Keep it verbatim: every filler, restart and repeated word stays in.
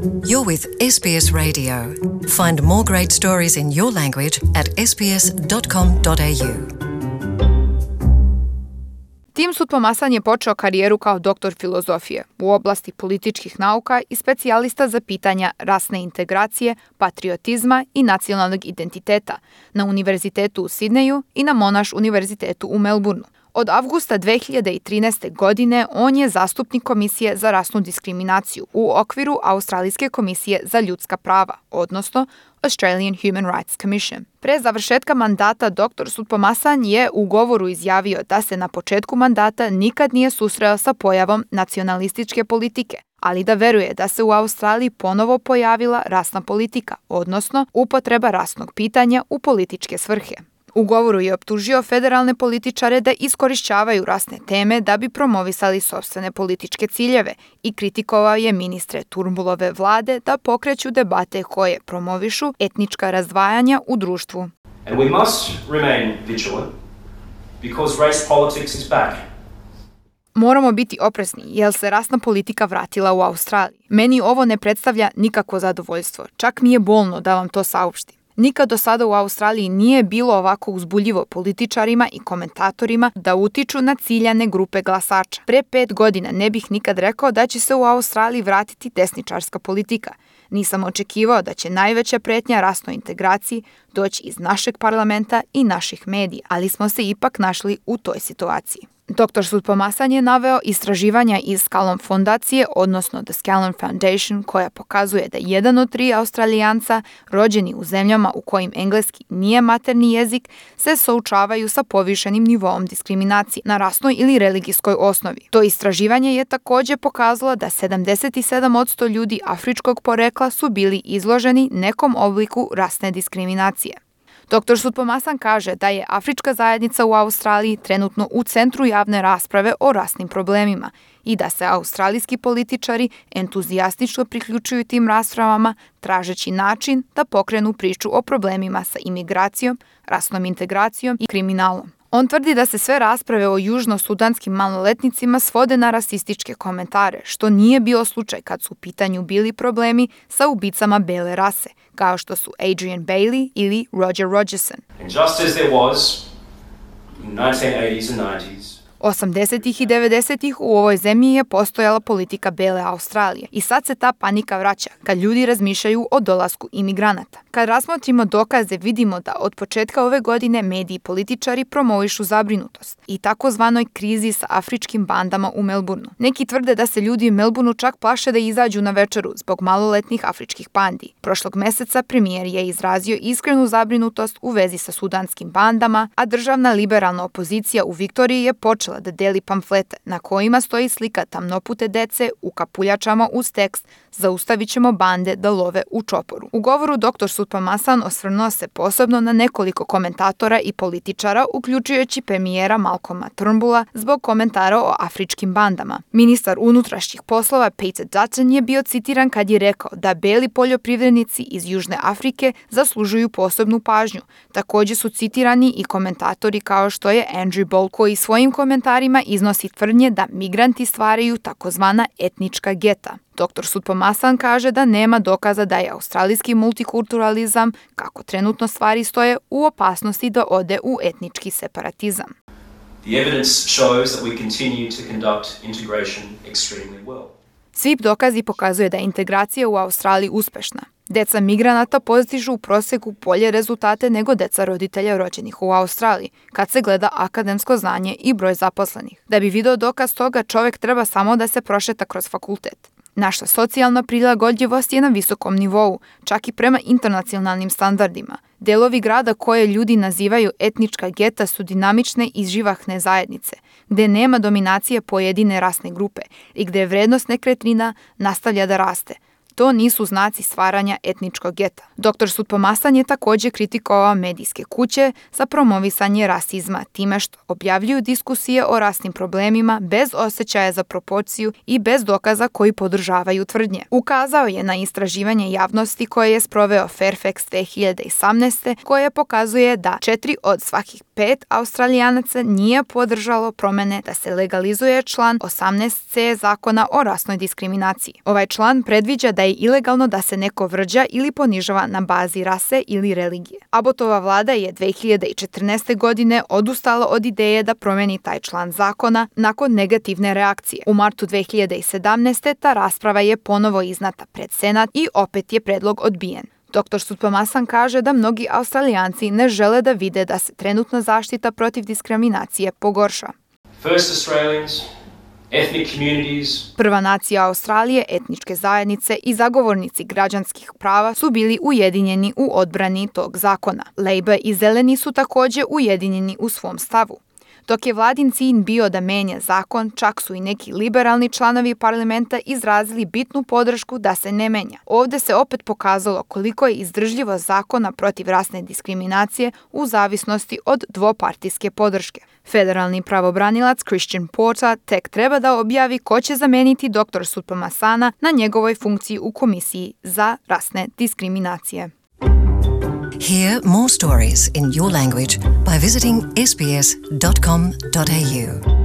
You're with S B S Radio. Find more great stories in your language at s b s dot com dot a u. Tim Soutphommasane je počeo karijeru kao doktor filozofije u oblasti političkih nauka i specijalista za pitanja rasne integracije, patriotizma i nacionalnog identiteta na Univerzitetu u Sidneju i na Monash univerzitetu u Melbourneu. Od avgusta dve hiljade trinaeste. godine on je zastupnik Komisije za rasnu diskriminaciju u okviru Australijske komisije za ljudska prava, odnosno Australian Human Rights Commission. Pre završetka mandata dr Soutphommasane je u govoru izjavio da se na početku mandata nikad nije susreo sa pojavom nacionalističke politike, ali da veruje da se u Australiji ponovo pojavila rasna politika, odnosno upotreba rasnog pitanja u političke svrhe. U govoru je optužio federalne političare da iskorišćavaju rasne teme da bi promovisali sopstvene političke ciljeve i kritikovao je ministre Turnbullove vlade da pokreću debate koje promovišu etnička razdvajanja u društvu. And we must remain vigilant because race politics is back. Moramo biti oprezni jer se rasna politika vratila u Australiji. Meni ovo ne predstavlja nikakvo zadovoljstvo, čak mi je bolno da vam to saopštim. Nikad do sada u Australiji nije bilo ovako uzbuljivo političarima i komentatorima da utiču na ciljane grupe glasača. Pre pet godina ne bih nikad rekao da će se u Australiji vratiti desničarska politika. Nisam očekivao da će najveća pretnja rasnoj integraciji doći iz našeg parlamenta i naših medija, ali smo se ipak našli u toj situaciji. dr Soutphommasane je naveo istraživanja iz Scallon fondacije, odnosno The Scallon Foundation, koja pokazuje da jedan od tri Australijanca rođeni u zemljama u kojim engleski nije materni jezik se suočavaju sa povišenim nivoom diskriminacije na rasnoj ili religijskoj osnovi. To istraživanje je također pokazalo da sedamdeset sedam posto ljudi afričkog porekla su bili izloženi nekom obliku rasne diskriminacije. dr Soutphommasane kaže da je afrička zajednica u Australiji trenutno u centru javne rasprave o rasnim problemima i da se australijski političari entuzijastično priključuju tim raspravama tražeći način da pokrenu priču o problemima sa imigracijom, rasnom integracijom i kriminalom. On tvrdi da se sve rasprave o južno-sudanskim maloletnicima svode na rasističke komentare, što nije bio slučaj kad su u pitanju bili problemi sa ubicama bele rase, kao što su Adrian Bailey ili Roger Rogerson. And just as there was in nineteen eighties and nineties, osamdesetih i devedesetih u ovoj zemlji je postojala politika bele Australije i sad se ta panika vraća kad ljudi razmišljaju o dolasku imigranata. Kad razmotrimo dokaze vidimo da od početka ove godine mediji i političari promovišu zabrinutost i takozvanoj krizi sa afričkim bandama u Melbourneu. Neki tvrde da se ljudi u Melbourneu čak plaše da izađu na večeru zbog maloletnih afričkih bandi. Prošlog meseca premijer je izrazio iskrenu zabrinutost u vezi sa sudanskim bandama, a državna liberalna opozicija u Viktoriji je počela da deli pamflete na kojima stoji slika tamnopute dece u kapuljačama uz tekst "Zaustavit ćemo bande da love u čoporu". U govoru dr Soutphommasane osvrnuo se posebno na nekoliko komentatora i političara, uključujući premijera Malcolma Turnbulla zbog komentara o afričkim bandama. Ministar unutrašnjih poslova Peter Dutton je bio citiran kad je rekao da beli poljoprivrednici iz Južne Afrike zaslužuju posebnu pažnju. Također su citirani i komentatori kao što je Andrew Bolt, koji svojim komentarima iznosi tvrdnje da migranti stvaraju takozvana etnička geta. dr Soutphommasane kaže da nema dokaza da je australijski multikulturalizam, kako trenutno stvari stoje, u opasnosti da ode u etnički separatizam. the evidence shows that we continue to conduct integration extremely well. Svi dokazi pokazuje da je integracija u Australiji uspešna. Deca migranata postižu u prosjeku bolje rezultate nego deca roditelja rođenih u Australiji, kad se gleda akademsko znanje i broj zaposlenih. Da bi video dokaz toga, čovjek treba samo da se prošeta kroz fakultet. Naša socijalna prilagodljivost je na visokom nivou, čak i prema internacionalnim standardima. Delovi grada koje ljudi nazivaju etnička geta su dinamične i živahne zajednice, gde nema dominacije pojedine rasne grupe i gde vrednost nekretnina nastavlja da raste. To nisu znaci stvaranja etničkog geta. dr Soutphommasane je također kritikovao medijske kuće za promovisanje rasizma time što objavljuju diskusije o rasnim problemima bez osjećaja za proporciju i bez dokaza koji podržavaju tvrdnje. Ukazao je na istraživanje javnosti koje je sproveo Fairfax dve hiljade osamnaeste koje pokazuje da četiri od svakih pet Australijanaca nije podržalo promene da se legalizuje član osamnaest ce zakona o rasnoj diskriminaciji. Ovaj član predviđa da da je ilegalno da se neko vrđa ili ponižava na bazi rase ili religije. Abbotova vlada je dve hiljade četrnaeste. godine odustala od ideje da promeni taj član zakona nakon negativne reakcije. U martu dve hiljade sedamnaeste. ta rasprava je ponovo iznata pred Senat i opet je predlog odbijen. doktor Soutphommasane kaže da mnogi Australijanci ne žele da vide da se trenutna zaštita protiv diskriminacije pogorša. First Australians, ethnic communities. Prva nacija Australije, etničke zajednice i zagovornici građanskih prava su bili ujedinjeni u odbrani tog zakona. Labour i Zeleni su također ujedinjeni u svom stavu. Dok je vladin cilj bio da menja zakon, čak su i neki liberalni članovi parlamenta izrazili bitnu podršku da se ne menja. Ovdje se opet pokazalo koliko je izdržljivo zakona protiv rasne diskriminacije u zavisnosti od dvopartijske podrške. Federalni pravobranilac Christian Porter tek treba da objavi ko će zameniti doktor Soutphommasana na njegovoj funkciji u Komisiji za rasne diskriminacije. Hear more stories in your language by visiting s b s dot com dot a u.